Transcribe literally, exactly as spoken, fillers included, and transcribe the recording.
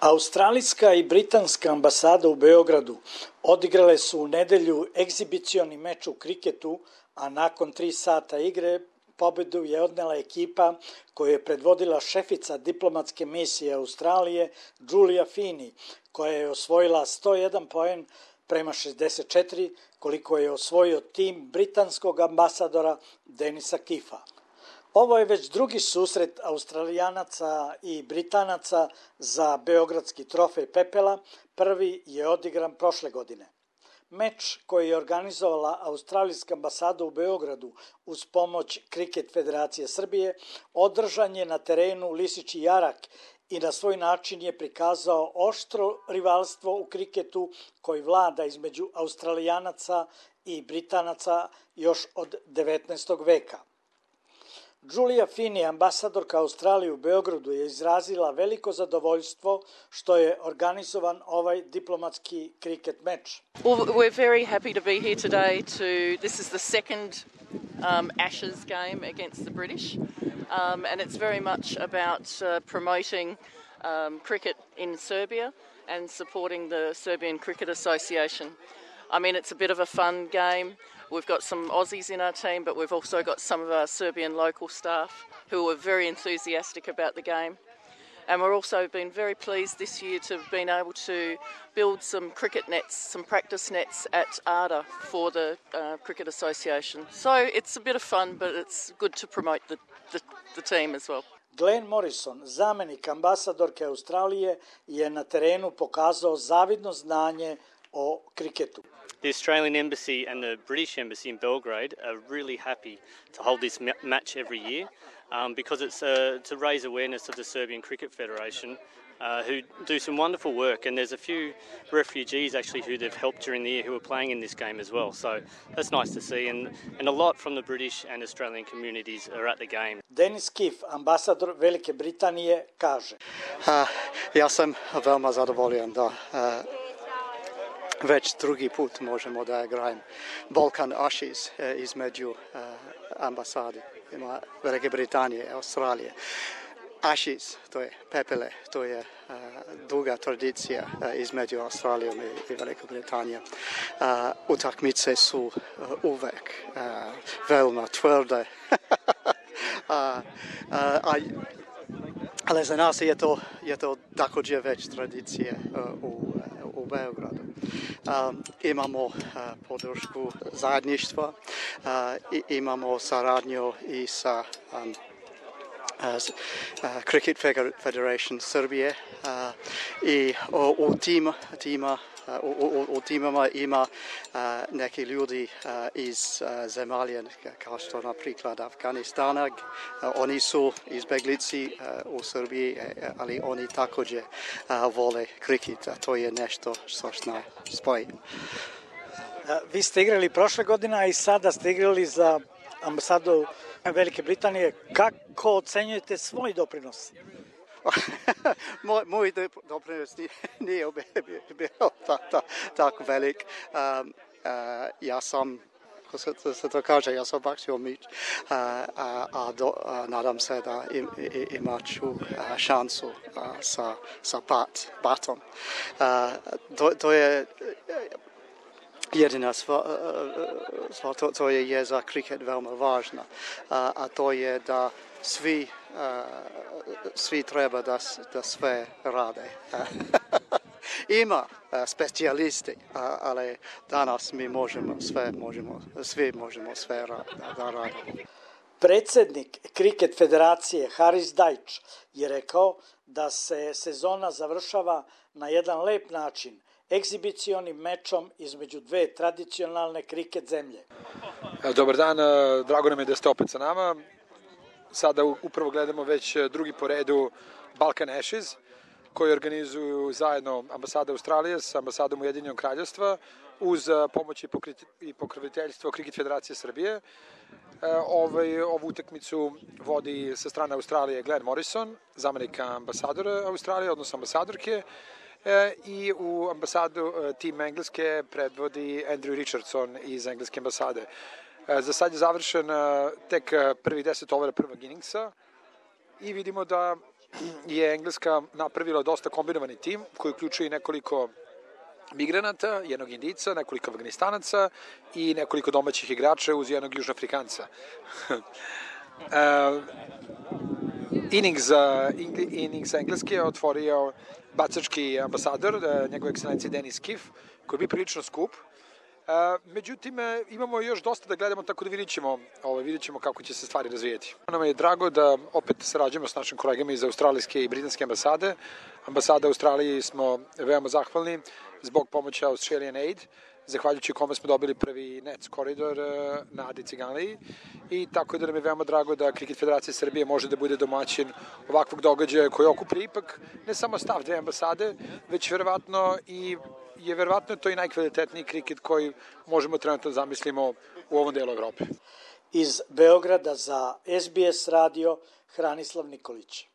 Australijska i britanska ambasada u Beogradu odigrale su u nedelju egzibicioni meč u kriketu, a nakon tri sata igre pobedu je odnela ekipa koju je predvodila šefica diplomatske misije Australije Julia Fini, koja je osvojila sto jedan poen prema šezdeset četiri, koliko je osvojio tim britanskog ambasadora Denisa Kifa. Ovo je već drugi susret Australijanaca i Britanaca za beogradski trofej Pepela, prvi je odigran prošle godine. Meč koji je organizovala Australijska ambasada u Beogradu uz pomoć Kriket Federacije Srbije održan je na terenu Lisički jarak i na svoj način je prikazao oštro rivalstvo u kriketu koji vlada između Australijanaca i Britanaca još od devetnaestog veka. Julia Fini, ambasadorka Australije u Beogradu, je izrazila veliko zadovoljstvo što je organizovan ovaj diplomatski kriket meč. Well, we're very happy to be here today to, this is the second um, Ashes game against the British, um, and it's very much about uh, promoting um, cricket in Serbia and supporting the Serbian Cricket Association. I mean, it's a bit of a fun game. We've got some Aussies in our team, but we've also got some of our Serbian local staff who are very enthusiastic about the game. And we're also been very pleased this year to have been able to build some cricket nets, some practice nets at Arda for the uh, Cricket Association. So it's a bit of fun, but it's good to promote the, the, the team as well. Glenn Morrison, zamenik ambasadorke Australije, je na terenu pokazao zavidno znanje o kriketu. The Australian Embassy and the British Embassy in Belgrade are really happy to hold this ma- match every year um, because it's uh, to raise awareness of the Serbian Cricket Federation uh, who do some wonderful work, and there's a few refugees actually who they've helped during the year who are playing in this game as well, so that's nice to see, and, and a lot from the British and Australian communities are at the game. Denis Kif, ambasador Velike Britanije, kaže: uh, Ja sam veoma zadovoljan da uh, već drugi put možemo da igrajem Balkan Ashes između uh, ambasade Velike Britanije i Australije. Ashes, to je pepele, to je uh, duga tradicija uh, između Australije i, i Velike Britanije. Uh, utakmice su uh, uvek uh, veoma tvrde. uh, uh, ali za nas je to, je to također već tradicije uh, u, uh, u Beogradu. Um, imamo uh, podršku zajedništva, uh, i, imamo saradnju i sa um, uh, Cricket Federation Srbije uh, i u, u tim, tima U, u, u timama ima uh, neki ljudi uh, iz uh, zemalja kao što na priklad Afganistana. Uh, oni su izbeglici uh, u Srbiji, uh, ali oni također uh, vole kriket, a to je nešto što nas spoji. Vi ste igrali prošle godine, a i sada ste igrali za ambasadu Velike Britanije. Kako ocenjujete svoj doprinos? moj, moj doprinos nije bio tako velik. Um, uh, ja sam, kako se, se to kaže, ja sam bacio mič, uh, a, a, do, a nadam se da im, imat ću uh, šansu uh, sa, sa bat, batom. Uh, to, to je jedina stvar, sva, to, to je, je za kriket veoma važna, uh, a to je da svi Uh, svi treba da, da sve rade. Ima uh, specijalisti, uh, ali danas mi možemo sve, možemo, svi možemo sve ra, da, da radimo. Predsednik Kriket Federacije Haris Dajč je rekao da se sezona završava na jedan lep način, egzibicionim mečom između dve tradicionalne kriket zemlje. Dobar dan, drago nam je da ste opet sa nama. Sada upravo gledamo već drugi po redu Balkan Ashes, koji organizuju zajedno ambasada Australije sa ambasadom Ujedinjenog Kraljevstva uz pomoć i pokroviteljstvo Kriket Federacije Srbije. Ovaj, ovu utakmicu vodi sa strane Australije Glenn Morrison, zamenik ambasadora Australije, odnosno ambasadorke, i u ambasadu tim Engleske predvodi Andrew Richardson iz Engleske ambasade. Za sad je završen tek prvih deset overa prvog inningsa i vidimo da je Engleska napravila dosta kombinovani tim koji uključuje nekoliko migranata, jednog Indica, nekoliko Afganistanaca i nekoliko domaćih igrača uz jednog Južnoafrikanca. uh, innings, uh, innings Engleske je otvorio bacački ambasador, uh, njegov ekscelencija Denis Kiff, koji bi prilično skup. Uh, međutim, imamo još dosta da gledamo, tako da vidit ćemo, ovaj, vidit ćemo kako će se stvari razvijeti. Nam je drago da opet sarađujemo s našim kolegama iz australijske i britanske ambasade. Ambasada Australiji smo veoma zahvalni zbog pomoći Australian Aid, zahvaljujući kome smo dobili prvi N E C koridor na Adi Ciganliji, i tako da nam je veoma drago da Kriket Federacija Srbije može da bude domaćin ovakvog događaja koji okuplja ipak ne samo stav dve ambasade, već verovatno i je verovatno to i najkvalitetniji kriket koji možemo trenutno zamislimo u ovom delu Evrope. Iz Beograda za S B S radio Hranislav Nikolić.